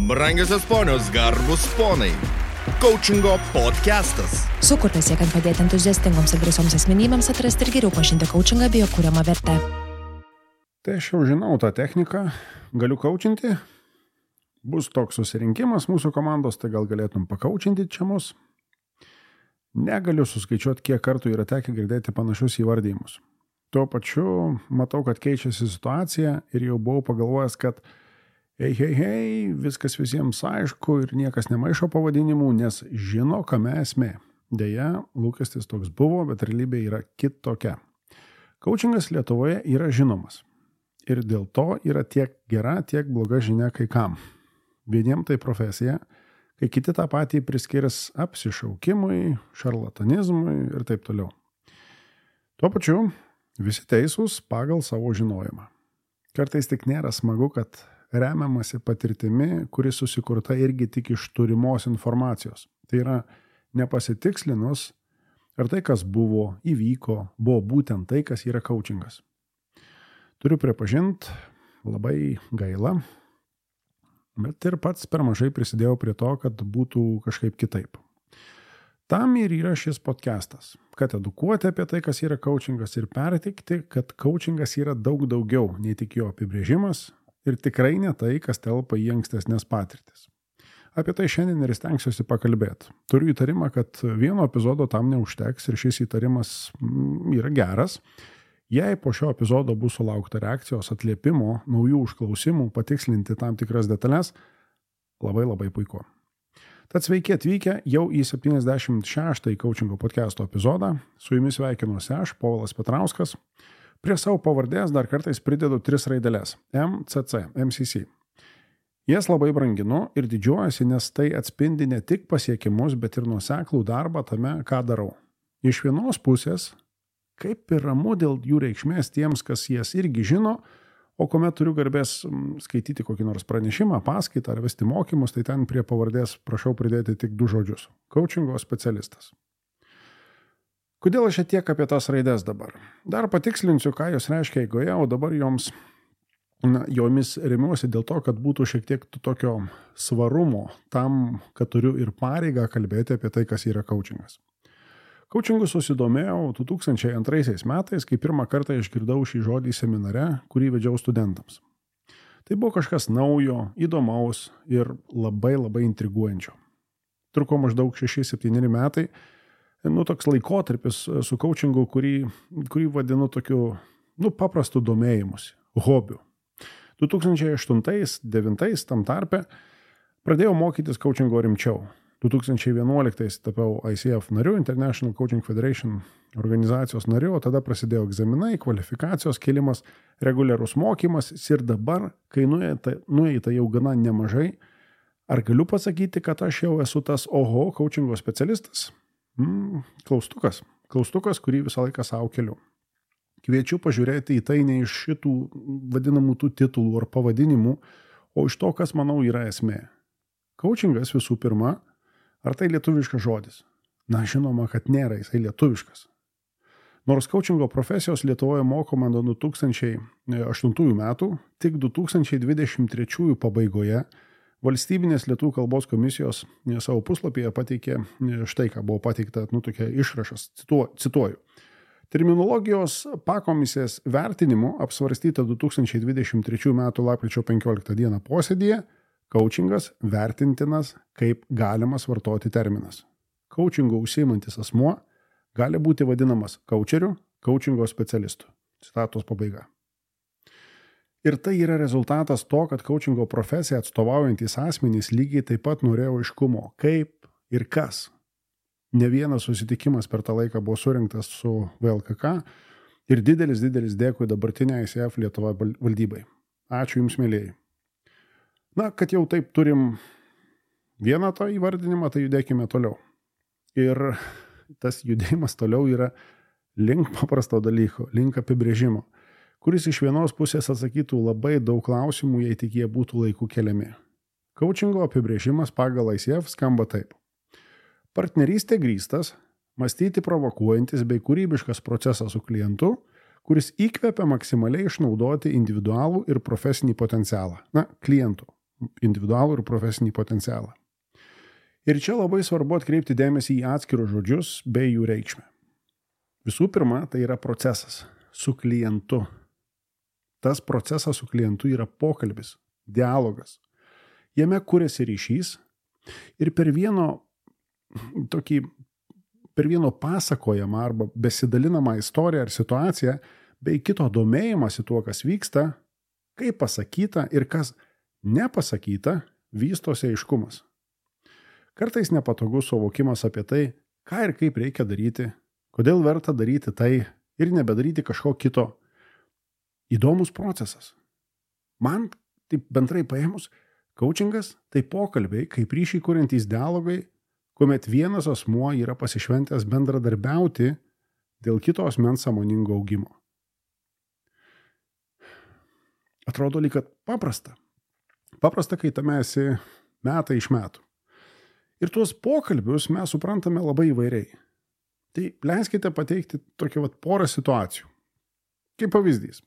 Brangiosios ponios, garbus ponai. Coachingo podcastas. Sukurtas siekiant padėti entuziastingoms ir drąsioms asmenybėms atrasti ir geriau pažinti coachingą bei jo kuriamą vertę. Tai aš jau žinau tą techniką, galiu coachinti. Bus toks susirinkimas mūsų komandos, tai gal galėtum pakaučinti čia mus. Negaliu suskaičiuoti, kiek kartų yra tekę girdėti panašius įvardymus. Tuo pačiu matau, kad keičiasi situacija ir jau buvau pagalvojęs, kad hei, viskas visiems aišku ir niekas nemaišo pavadinimų, nes žino, kame esmė. Deja, lūkestis toks buvo, bet realybė yra kitokia. Coachingas Lietuvoje yra žinomas. Ir dėl to yra tiek gera, tiek bloga žinia kai kam. Vieniem tai profesija, kai kiti tą patį priskirs apsišaukimui, šarlatanizmui ir taip toliau. Tuo pačiu visi teisūs pagal savo žinojimą. Kartais tik nėra smagu, kad remiamasi patirtimi, kuri susikurta irgi tik iš turimos informacijos. Tai yra nepasitikslinus, ar tai, kas buvo, įvyko, buvo būtent tai, kas yra coachingas. Turiu pripažinti, labai gaila, bet ir pats per mažai prisidėjau prie to, kad būtų kažkaip kitaip. Tam ir yra šis podcastas, kad edukuoti apie tai, kas yra coachingas ir perteikti, kad coachingas yra daug daugiau nei tik jo apibrėžimas ir tikrai ne tai, kas telpa į ankstesnės patirtis. Apie tai šiandien ir stengsiuosi pakalbėti. Turiu įtarimą, kad vieno epizodo tam neužteks ir šis įtarimas yra geras. Jei po šio epizodo bus sulaukta reakcijos, atliepimo, naujų užklausimų, patikslinti tam tikras detalės, labai puiku. Tad sveiki atvykę jau į 76-ąjį coachingo podcasto epizodą. Su jumis sveikinuosi aš, Povilas Petrauskas. Prie savo pavardės dar kartais pridedu 3 raideles – MCC, MCC. Jas labai branginu ir didžiuojasi, nes tai atspindi ne tik pasiekimus, bet ir nuoseklų darbą tame, ką darau. Iš vienos pusės, kaip ir ramu dėl jų reikšmės tiems, kas jas irgi žino, o kuomet turiu garbės skaityti kokį nors pranešimą, paskaitą ar vesti mokymus, tai ten prie pavardės prašau pridėti tik 2 žodžius – coachingo specialistas. Kodėl aš tiek apie tas raides dabar? Dar patikslinsiu, ką jos reiškia eigoje, o dabar jomis remiuosi dėl to, kad būtų šiek tiek tokio svarumo tam, kad turiu ir pareigą kalbėti apie tai, kas yra coachingas. Coachingu susidomėjau 2002 metais, kai pirmą kartą išgirdau šį žodį seminare, kurį vedžiau studentams. Tai buvo kažkas naujo, įdomaus ir labai intriguojančio. Truko maždaug 6-7 metai. Toks laikotarpis su coachingu, kurį vadinu tokiu, paprastu domėjimusi, hobiu. 2008-2009 tam tarpe pradėjau mokytis coachingo rimčiau. 2011 tapiau ICF nariu, International Coaching Federation organizacijos nariu, o tada prasidėjo egzaminai, kvalifikacijos kėlimas, reguliarus mokymas ir dabar, kai nueita jau gana nemažai, ar galiu pasakyti, kad aš jau esu tas coachingo specialistas? Klaustukas, kurį visą laiką savo keliu. Kviečiu pažiūrėti į tai ne iš šitų vadinamų tų titulų ar pavadinimų, o iš to, kas manau yra esmė. Coachingas visų pirma, ar tai lietuviškas žodis? Žinoma, kad nėra jisai lietuviškas. Nors coachingo profesijos Lietuvoje mokoma nuo 2008 metų, tik 2023 pabaigoje Valstybinės lietuvių kalbos komisijos savo puslapyje pateikė štai, ką buvo pateikta, tokia išrašas, cituoju. Terminologijos pakomisės vertinimu apsvarstyta 2023 metų lapkričio 15 dieną posėdyje, coachingas vertintinas kaip galimas vartoti terminas. Coachingo užsiimantis asmuo gali būti vadinamas coacheriu, coachingo specialistu. Citatos pabaiga. Ir tai yra rezultatas to, kad coachingo profesiją atstovaujantys asmenys lygiai taip pat norėjo aiškumo, kaip ir kas. Ne vienas susitikimas per tą laiką buvo surinktas su VLKK ir didelis dėkui dabartinė ICF Lietuva valdybai. Ačiū Jums, mėlėjai. Kad jau taip turim vieną tą įvardinimą, tai judėkime toliau. Ir tas judėjimas toliau yra link paprasto dalyko, link apibrėžimo, kuris iš vienos pusės atsakytų labai daug klausimų, jei tik jie būtų laiku keliami. Coachingo apibrėžimas pagal ICF skamba taip. Partnerystė grįstas, mąstyti provokuojantis bei kūrybiškas procesas su klientu, kuris įkvepia maksimaliai išnaudoti individualų ir profesinį potencialą, klientų. individualų ir profesinį potencialą. Ir čia labai svarbu atkreipti dėmesį į atskirus žodžius bei jų reikšmę. Visų pirma, tai yra procesas su klientu. Tas procesas su klientu yra pokalbis, dialogas. Jame kuriasi ryšys ir per vieno pasakojamą arba besidalinamą istoriją ar situaciją bei kito domėjimąsi tuo, kas vyksta, kaip pasakyta ir kas nepasakyta, vystosi aiškumas. Kartais nepatogus suvokimas apie tai, ką ir kaip reikia daryti, kodėl verta daryti tai ir nebedaryti kažko kito. Įdomus procesas. Man, taip bendrai paėmus, coachingas tai pokalbiai, kaip ryšiai kuriantys dialogai, kuomet vienas asmuo yra pasišventęs bendradarbiauti dėl kito asmens sąmoningo augimo. Atrodo lyg kad paprasta. Paprasta, kai tame esi metai iš metų. Ir tuos pokalbius mes suprantame labai įvairiai. Tai leiskite pateikti tokią porą situacijų. Kaip pavyzdys.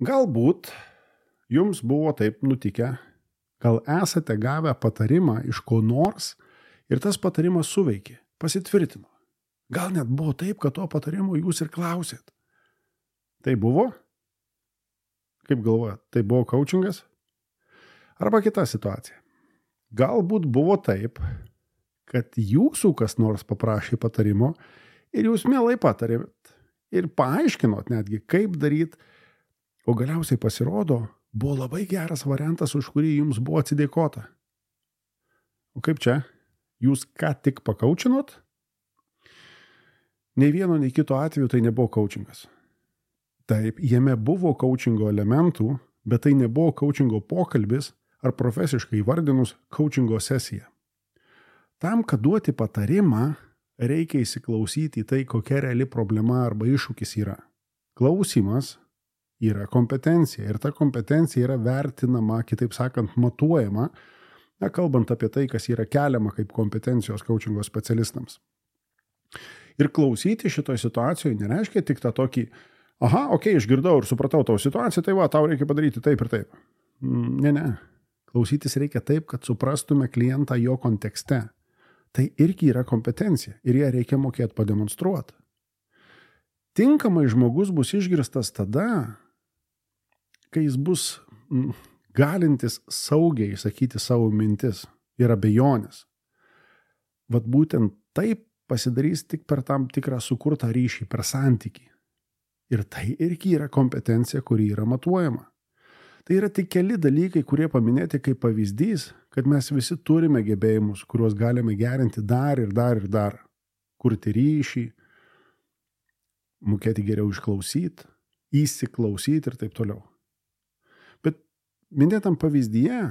Galbūt jums buvo taip nutikę, gal esate gavę patarimą iš ko nors ir tas patarimas suveikė, pasitvirtino. Gal net buvo taip, kad to patarimo jūs ir klausėt. Tai buvo? Kaip galvojat, tai buvo coachingas? Arba kita situacija. Galbūt buvo taip, kad jūsų kas nors paprašė patarimo ir jūs mielai patarėt ir paaiškinot netgi, kaip daryti, o galiausiai pasirodo, buvo labai geras variantas, už kurį jums buvo atsidėkota. O kaip čia? Jūs ką tik pakaučinot? Nei vieno, nei kito atveju tai nebuvo coachingas. Taip, jame buvo coachingo elementų, bet tai nebuvo coachingo pokalbis ar profesiškai įvardinus coachingo sesija. Tam, kad duoti patarimą, reikia įsiklausyti į tai, kokia reali problema arba iššūkis yra. Klausimas yra kompetencija ir ta kompetencija yra vertinama, kitaip sakant, matuojama, kalbant apie tai, kas yra keliama kaip kompetencijos coachingo specialistams. Ir klausyti šitoje situacijoje nereiškia tik tą tokį, išgirdau ir supratau tavo situaciją, tai tau reikia padaryti taip ir taip. Ne. Klausytis reikia taip, kad suprastume klientą jo kontekste. Tai irgi yra kompetencija ir ją reikia mokėti pademonstruoti. Tinkamai žmogus bus išgirstas tada, kai jis bus galintis saugiai sakyti savo mintis ir abejonės. Vat būtent taip pasidarys tik per tam tikrą sukurtą ryšį, per santykį. Ir tai irgi yra kompetencija, kuri yra matuojama. Tai yra tik keli dalykai, kurie paminėti kaip pavyzdys, kad mes visi turime gebėjimus, kuriuos galime gerinti dar ir dar ir dar. Kurti ryšį, mokėti geriau išklausyti, įsiklausyti ir taip toliau. Bet minėtam pavyzdyje,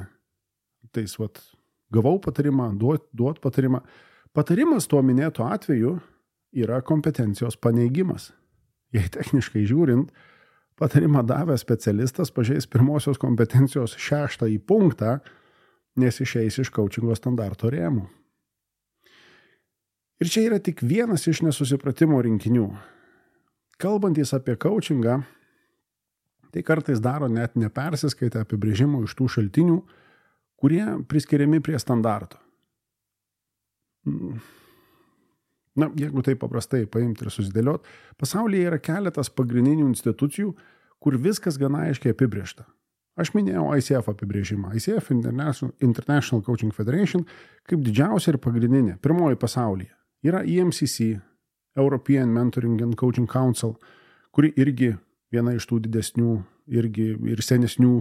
gavau patarimą, duot patarimą. Patarimas tuo minėto atveju yra kompetencijos paneigimas. Jei techniškai žiūrint, patarimą davęs specialistas pažeis pirmosios kompetencijos 6 punktą, nes išeis iš coachingo standarto rėmų. Ir čia yra tik vienas iš nesusipratimo rinkinių. Kalbantys apie coachingą, tai kartais daro net nepersiskaitę apibrėžimų iš tų šaltinių, kurie priskiriami prie standarto. Jeigu tai paprastai paimti ir susidėliot, pasaulyje yra keletas pagrindinių institucijų, kur viskas gana aiškiai apibrėžta. Aš minėjau ICF apibrėžimą. ICF International Coaching Federation kaip didžiausia ir pagrindinė, pirmoji pasaulyje. Yra EMCC, European Mentoring and Coaching Council, kuri irgi viena iš tų didesnių irgi ir senesnių,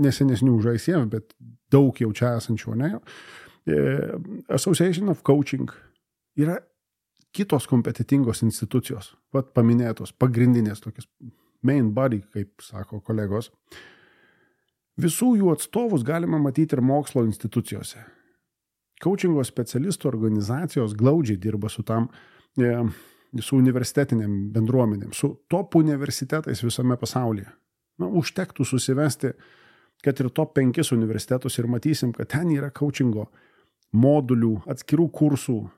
nesenesnių už ICF, bet daug jau čia esančių, ne? Association of Coaching. Yra kitos kompetitingos institucijos, paminėtos, pagrindinės tokios, main body, kaip sako kolegos. Visų jų atstovus galima matyti ir mokslo institucijose. Coachingo specialistų organizacijos glaudžiai dirba su su universitetiniam bendruomenėm, su top universitetais visame pasaulyje. Užtektų susivesti, kad ir top 5 universitetus ir matysim, kad ten yra coachingo modulių, atskirų kursų.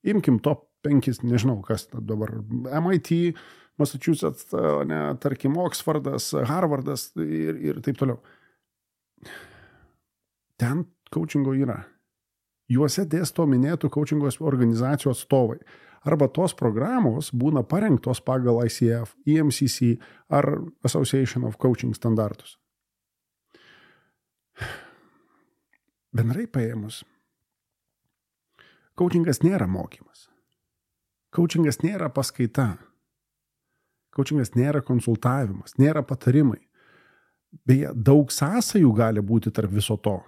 Imkim top 5, nežinau kas dabar, MIT, Massachusetts, tarkim Oxfordas, Harvardas ir taip toliau. ten coachingo yra. Juose dėsto minėtų coachingo organizacijų atstovai. Arba tos programos būna parengtos pagal ICF, EMCC ar Association of Coaching standartus. Bendrai paėmus, coachingas nėra mokymas. Coachingas nėra paskaita. Coachingas nėra konsultavimas, nėra patarimai. Beje, daug sąsajų gali būti tarp viso to.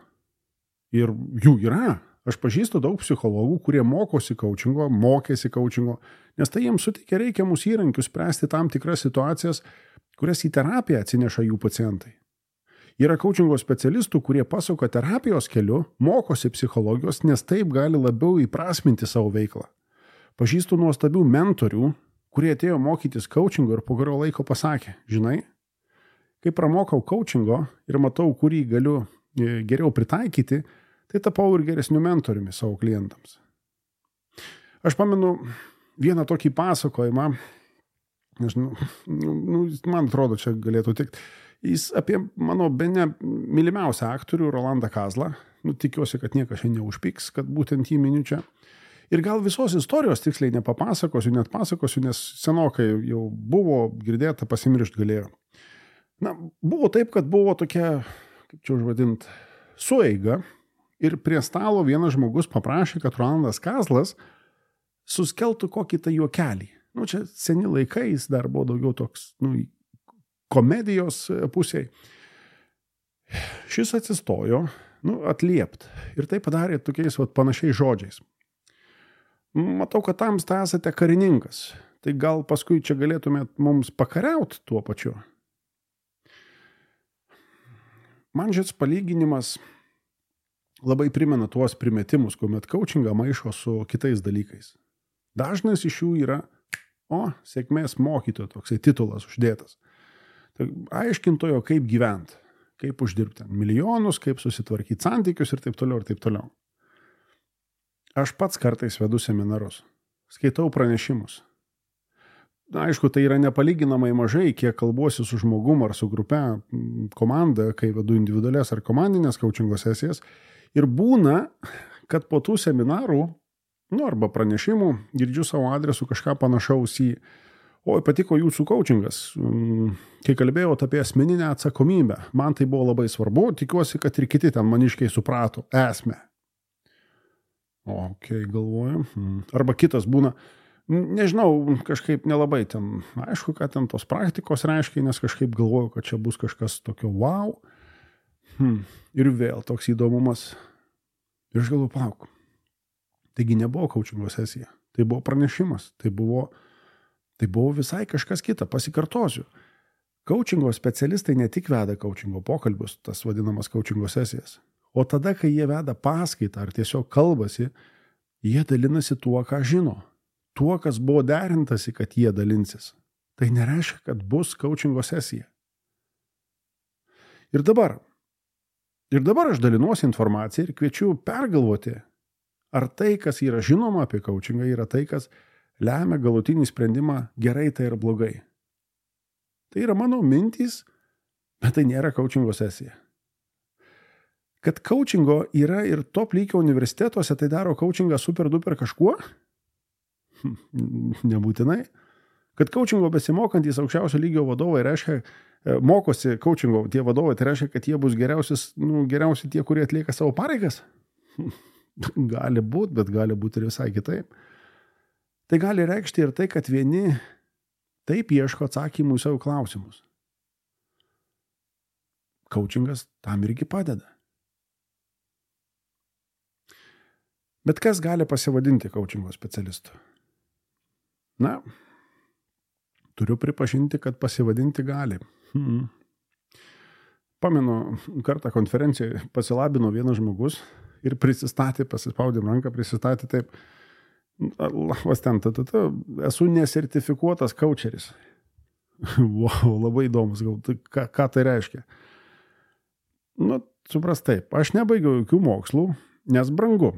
Ir jų yra. Aš pažįstu daug psichologų, kurie mokėsi coachingo, nes tai jiems suteikia reikiamus įrankius spręsti tam tikras situacijas, kurias į terapiją atsineša jų pacientai. Yra coachingo specialistų, kurie pasuka terapijos keliu, mokosi psichologijos, nes taip gali labiau įprasminti savo veiklą. Pažįstu nuostabių mentorių, kurie atėjo mokytis coachingo ir po kurio laiko pasakė, žinai, kai pramokau coachingo ir matau, kurį galiu geriau pritaikyti, tai tapau ir geresniu mentoriumi savo klientams. Aš pamenu vieną tokį pasakojimą, man atrodo, čia galėtų tikti, jis apie mano bene mylimiausią aktorių Rolandą Kazlą, tikiuosi, kad niekas šiandien neužpiks, kad būtent jį miniu čia. Ir gal visos istorijos tiksliai nepapasakosiu, net pasakosiu, nes senokai jau buvo girdėta, pasimiršt galėjo. Buvo taip, kad buvo tokia, kaip čia užvadint, sueiga ir prie stalo vienas žmogus paprašė, kad Rolandas Kazlas suskeltų kokį tai juokelį. Čia seni laikai, jis dar buvo daugiau toks, komedijos pusiai. Šis atsistojo, atliept ir tai padarė tokiais panašiais žodžiais. Matau, kad tamsta esate karininkas, tai gal paskui čia galėtumėt mums pakariauti tuo pačiu. Man šis palyginimas labai primena tuos primetimus, kuomet coachingą maišo su kitais dalykais. Dažnas iš jų yra, sėkmės mokytojo, toksai titulas uždėtas. Tai aiškintojo, kaip gyventi, kaip uždirbti milijonus, kaip susitvarkyti santykius ir taip toliau ir taip toliau. Aš pats kartais vedu seminarus, skaitau pranešimus. Aišku, tai yra nepalyginamai mažai, kiek kalbuosi su žmogum ar su grupe, komanda, kai vedu individualias ar komandinės coachingo sesijas. Ir būna, kad po tų seminarų, arba pranešimų, girdžiu savo adresu kažką panašaus į patiko jūsų coachingas. Kai kalbėjote apie asmeninę atsakomybę, man tai buvo labai svarbu, tikiuosi, kad ir kiti ten maniškiai suprato esmę. Galvoju. Arba kitas būna, nežinau, kažkaip nelabai ten, aišku, kad ten tos praktikos reiškia, nes kažkaip galvoju, kad čia bus kažkas tokio wow. Ir vėl toks įdomumas. Ir aš galvoju, palauk. Taigi nebuvo coachingo sesija, tai buvo pranešimas, tai buvo visai kažkas kita, pasikartosiu. Coachingo specialistai ne tik veda coachingo pokalbius, tas vadinamas coachingo sesijas, o tada, kai jie veda paskaitą ar tiesiog kalbasi, jie dalinasi tuo, ką žino, tuo, kas buvo derintasi, kad jie dalinsis. Tai nereiškia, kad bus coachingo sesija. Ir dabar aš dalinuosi informaciją ir kviečiu pergalvoti, ar tai, kas yra žinoma apie coachingą, yra tai, kas lemia galutinį sprendimą gerai tai ir blogai. Tai yra mano mintys, bet tai nėra coachingo sesija. Kad coachingo yra ir top lygio universitetuose, tai daro coachingą super duper kažkuo? Nebūtinai. Kad coachingo besimokantys aukščiausio lygio vadovai reiškia, mokosi coachingo tie vadovai, tai reiškia, kad jie bus geriausi tie, kurie atlieka savo pareigas? Gali būti, bet gali būti ir visai kitaip. Tai gali reikšti ir tai, kad vieni taip ieško atsakymų į savo klausimus. Coachingas tam irgi padeda. Bet kas gali pasivadinti coachingo specialistu? Turiu pripažinti, kad pasivadinti gali. Pamenu, kartą konferencijoje pasilabino vienas žmogus ir prisistatė, pasispaudėm ranką, prisistatė taip, esu nesertifikuotas coacheris. Wow, labai įdomus, ką tai reiškia? Supras taip, aš nebaigiau jokių mokslų, nes brangu.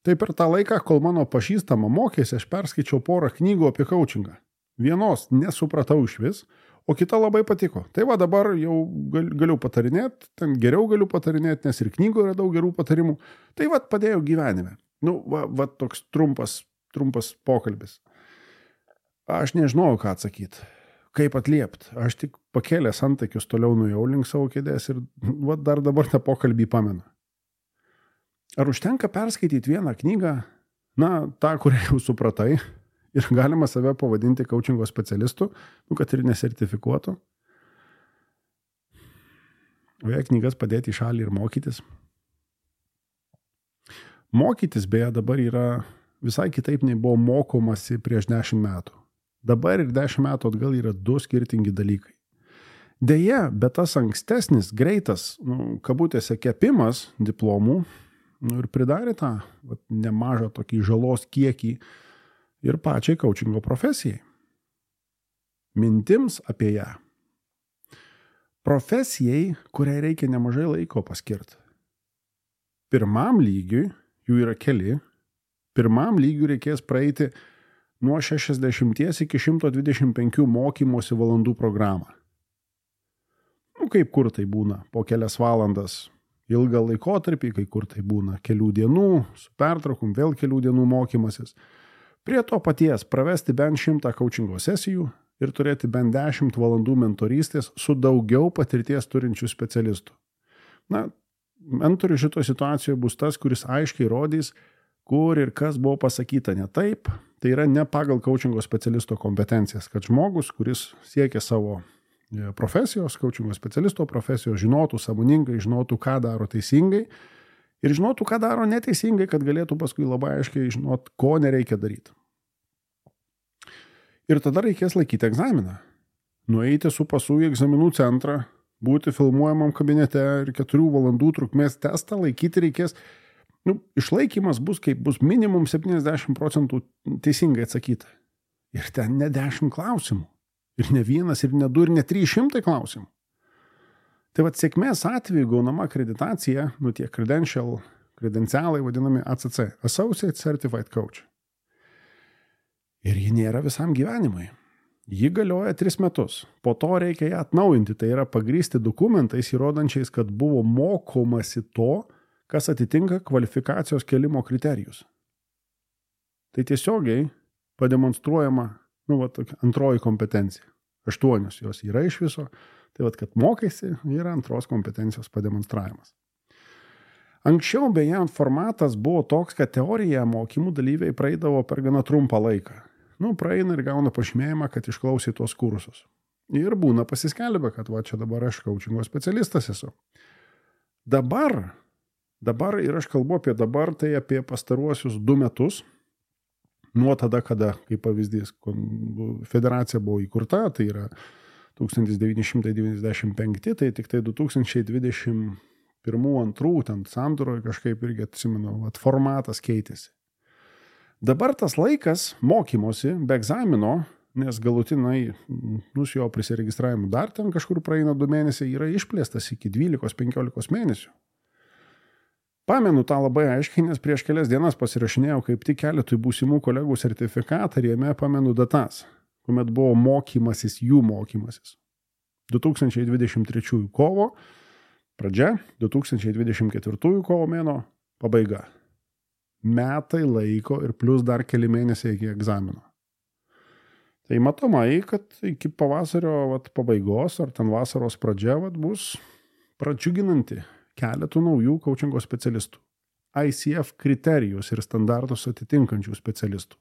Tai per tą laiką, kol mano pažįstama mokėsi, aš perskaičiau porą knygų apie coachingą. Vienos nesupratau išvis, o kita labai patiko. Tai va dabar jau galiu patarinėti, ten geriau galiu patarinėti, nes ir knygoje yra daug gerų patarimų. Tai va padėjau gyvenime. Va toks trumpas pokalbis. Aš nežinojau, ką atsakyti, kaip atliepti. Aš tik pakėlęs antakius toliau nuėjau link savo kėdės ir va dar dabar tą pokalbį pamenu. Ar užtenka perskaityti vieną knygą, tą, kurią jau supratai, ir galima save pavadinti coachingo specialistu, kad ir nesertifikuotų. O jei knygas padėti į šalį ir mokytis. Mokytis beje dabar yra visai kitaip nei buvo mokomasi prieš 10 metų. Dabar ir 10 metų atgal yra 2 skirtingi dalykai. Deja, bet tas ankstesnis, greitas, kabutėse kepimas diplomų ir pridarė tą nemažą tokį žalos kiekį ir pačiai coachingo profesijai. Mintims apie ją. Profesijai, kuriai reikia nemažai laiko paskirti. Pirmam lygiui, jų yra keli, pirmam lygiui reikės praeiti nuo 60 iki 125 mokymosi valandų programą. Kaip kur tai būna, po kelias valandas ilgą laikotarpį, kai kur tai būna kelių dienų, su pertraukom vėl kelių dienų mokymasis. Prie to paties pravesti bent 100 coachingo sesijų ir turėti bent 10 valandų mentorystės su daugiau patirties turinčių specialistų. Mentorius šitoje situacijoje bus tas, kuris aiškiai rodys, kur ir kas buvo pasakyta ne taip. Tai yra ne pagal coachingo specialisto kompetencijas, kad žmogus, kuris siekia savo profesijos, coachingo specialisto profesijos, žinotų sąmoningai, žinotų, ką daro teisingai, ir žinotų, ką daro neteisingai, kad galėtų paskui labai aiškiai žinot, ko nereikia daryti. Ir tada reikės laikyti egzaminą. Nueiti su pasu į egzaminų centrą, būti filmuojamam kabinete ir 4 valandų trukmės testą laikyti reikės. Išlaikymas bus, kaip bus minimum 70% teisingai atsakyta. Ir ten ne 10 klausimų. Ir ne 1, ir ne 2, ir ne 300 klausimų. Tai sėkmės atveju gaunama akreditacija, tie kredencialai vadinami ACC, Associate Certified Coach. Ir ji nėra visam gyvenimui. Ji galioja 3 metus. Po to reikia ją atnaujinti, tai yra pagrįsti dokumentais įrodančiais, kad buvo mokomasi to, kas atitinka kvalifikacijos kelimo kriterijus. Tai tiesiogiai pademonstruojama, antroji kompetencija. 8 jos yra iš viso. Tai kad mokaisi, yra antros kompetencijos pademonstravimas. Anksčiau beje formatas buvo toks, kad teoriją mokymų dalyviai praeidavo per gana trumpą laiką. Praeina ir gauna pažymėjimą, kad išklausė tuos kursus. Ir būna pasiskelbę, kad čia dabar aš coachingo specialistas esu. Dabar, ir aš kalbu apie dabar, tai apie pastaruosius 2 metus, nuo tada, kada, kaip pavyzdys, federacija buvo įkurta, tai yra 1995, tai tik tai 2021-2022 ten sandūroje kažkaip irgi atsimenu, formatas keitėsi. Dabar tas laikas mokymosi be egzamino, nes galutinai su jo prisiregistravimu dar ten kažkur praeina 2 mėnesiai, yra išplėstas iki 12-15 mėnesių. Pamenu tą labai aiškiai, nes prieš kelias dienas pasirašinėjau kaip tik keletui būsimų kolegų sertifikatą ir jame pamenu datas, kuomet buvo jų mokymasis. 2023 kovo pradžia, 2024 kovo mėno pabaiga. Metai laiko ir plus dar keli mėnesiai iki egzamino. Tai matomai, kad iki pavasario pabaigos ar ten vasaros pradžia bus pradžiuginanti keletų naujų coachingo specialistų. ICF kriterijus ir standartus atitinkančių specialistų.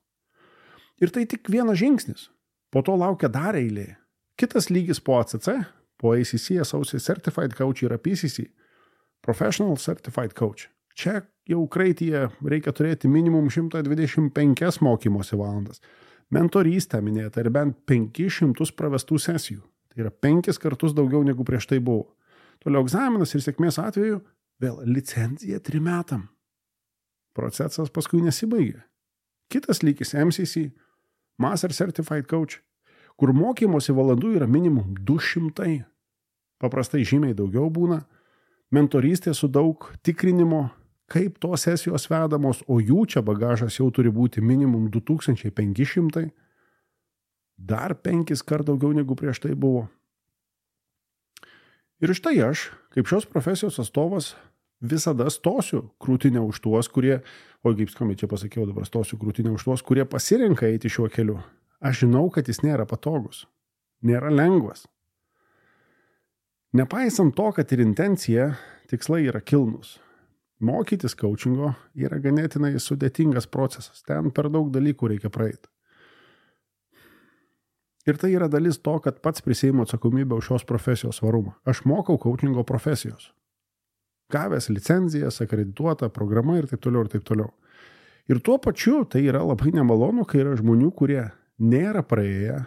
Ir tai tik vienas žingsnis. Po to laukia dar eilė. Kitas lygis po ACC, po ACC, Associate Certified Coach yra PCC, Professional Certified Coach. Čia jau kraityje reikia turėti minimum 125 mokymosi valandas. Mentorystę minėta ir bent 500 pravestų sesijų. Tai yra 5 kartus daugiau negu prieš tai buvo. Toliau egzaminas ir sėkmės atveju vėl licencija 3 metam. Procesas paskui nesibaigė. Kitas lygis MCC, Master Certified Coach, kur mokymosi valandų yra minimum 200. Paprastai žymiai daugiau būna. Mentorystė su daug tikrinimo, kaip tos sesijos vedamos, o jų čia bagažas jau turi būti minimum 2500. Dar 5 kart daugiau negu prieš tai buvo. Ir štai aš, kaip šios profesijos atstovas, visada stosiu krūtinę už tuos, kurie, kaip skambiai čia pasakiau, dabar stosiu krūtinę už tuos, kurie pasirenka eiti šiuo keliu. Aš žinau, kad jis nėra patogus, nėra lengvas. Nepaisant to, kad ir intencija, tikslai yra kilnūs. Mokytis coachingo yra ganėtinai sudėtingas procesas. Ten per daug dalykų reikia praeiti. Ir tai yra dalis to, kad pats prisiimu atsakomybę už šios profesijos svarumą. Aš mokau coachingo profesijos. Gavęs licenzijas, akredituota programa ir taip toliau, ir taip toliau. Ir tuo pačiu tai yra labai nemalonu, kai yra žmonių, kurie nėra praėję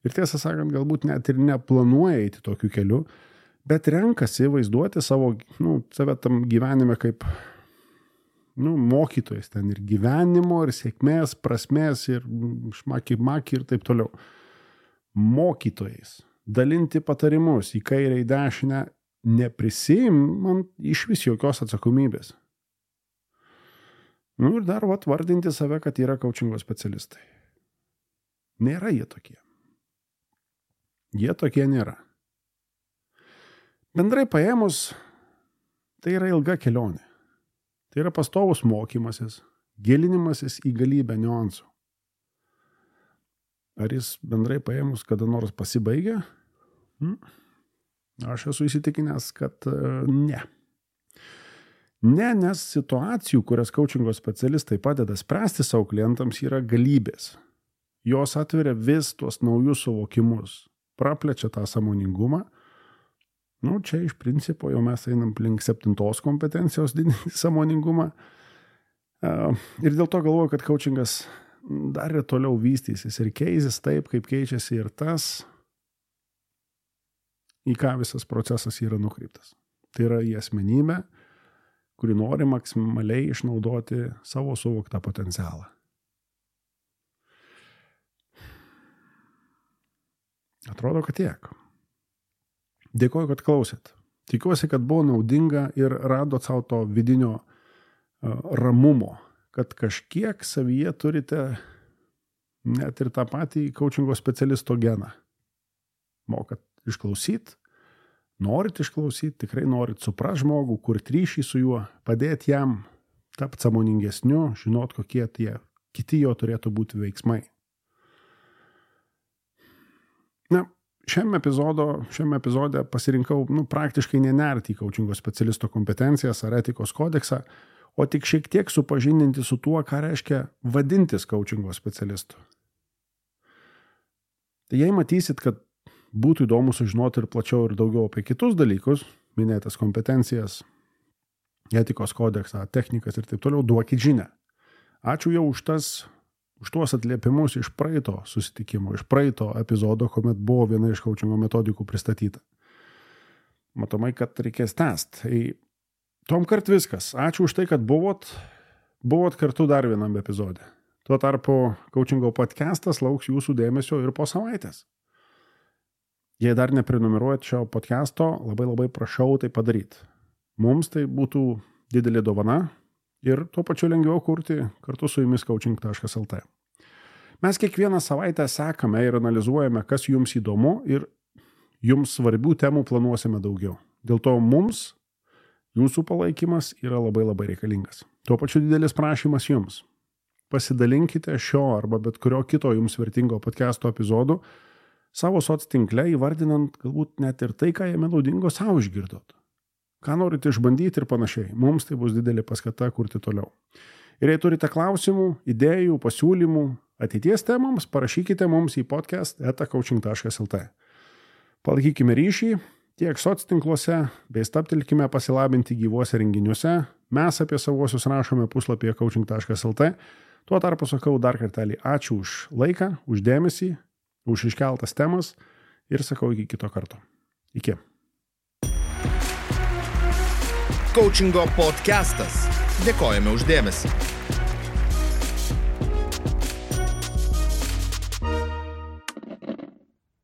ir tiesą sakant, galbūt net ir neplanuoja eiti tokiu keliu, bet renkasi vaizduoti save tam gyvenime kaip mokytojas ten ir gyvenimo, ir sėkmės, prasmės, ir šmaki ir taip toliau. Mokytojais. Dalinti patarimus į kairę, į dešinę, neprisiimant iš vis jokios atsakomybės. Ir dar vardinti save, kad yra coachingo specialistai. Nėra jie tokie. Jie tokie nėra. Bendrai paėmus, tai yra ilga kelionė. Tai yra pastovus mokymasis, gilinimasis į galybę niuansų. Ar jis bendrai paėmus kada nors pasibaigia? Aš esu įsitikinęs, kad ne. Ne, nes situacijų, kurias coachingo specialistai padeda spręsti savo klientams, yra galybės. Jos atveria vis tuos naujus suvokimus, praplečia tą sąmoningumą. Čia iš principo jau mes einam link 7 kompetencijos didinti sąmoningumą. Ir dėl to galvoju, kad coachingas dar ir toliau vystysis ir keisis taip, kaip keičiasi ir tas, į ką visas procesas yra nukreiptas. Tai yra į asmenybę, kuri nori maksimaliai išnaudoti savo suvoktą potencialą. Atrodo, kad tiek. Dėkoju, kad klausėt. Tikiuosi, kad buvo naudinga ir radot savo to vidinio ramumo, kad kažkiek savyje turite net ir tą patį coachingo specialisto geną. Mokat išklausyti, norit išklausyti, tikrai norit suprast žmogų, kurti ryšį su juo, padėti jam tapti sąmoningesniu, žinot, kokie tie kiti jo turėtų būti veiksmai. Šiame epizode pasirinkau praktiškai nenerti į coachingo specialisto kompetencijas ar etikos kodeksą, o tik šiek tiek supažindinti su tuo, ką reiškia vadintis coachingo specialistu. Tai jei matysit, kad būtų įdomu sužinoti ir plačiau ir daugiau apie kitus dalykus, minėtas kompetencijas, etikos kodeksą, technikas ir taip toliau, duokit žinią. Ačiū jau už tuos atliepimus iš praeito susitikimo, iš praeito epizodo, kuomet buvo viena iš coachingo metodikų pristatyta. Matomai, kad reikės tęsti. Tai tomkart viskas. Ačiū už tai, kad buvot kartu dar vienam epizode. Tuo tarpu coachingo podcastas lauks jūsų dėmesio ir po savaitės. Jei dar neprenumeruojat šio podcasto, labai prašau tai padaryti. Mums tai būtų didelė dovana ir tuo pačiu lengviau kurti kartu su jumis coaching.lt. Mes kiekvieną savaitę sekame ir analizuojame, kas jums įdomu ir jums svarbių temų planuosime daugiau. Dėl to mums jūsų palaikymas yra labai reikalingas. Tuo pačiu didelis prašymas jums. Pasidalinkite šio arba bet kurio kito jums vertingo podcasto epizodų savo soctinkle, įvardinant galbūt net ir tai, ką jame naudingo savo išgirdot. Ką norite išbandyti ir panašiai. Mums tai bus didelė paskata kurti toliau. Ir jei turite klausimų, idėjų, pasiūlymų, ateities temams, parašykite mums į podcast@coaching.lt. Palaikykime ryšį tiek soctinkluose, bei stabtelkime pasilabinti gyvuose renginiuose. Mes apie savuosius rašome puslapyje coaching.lt. Tuo tarpu sakau dar kartelį ačiū už laiką, už dėmesį, už iškeltas temas ir sakau iki kito karto. Iki. Coachingo podcastas. Dėkojame už dėmesį.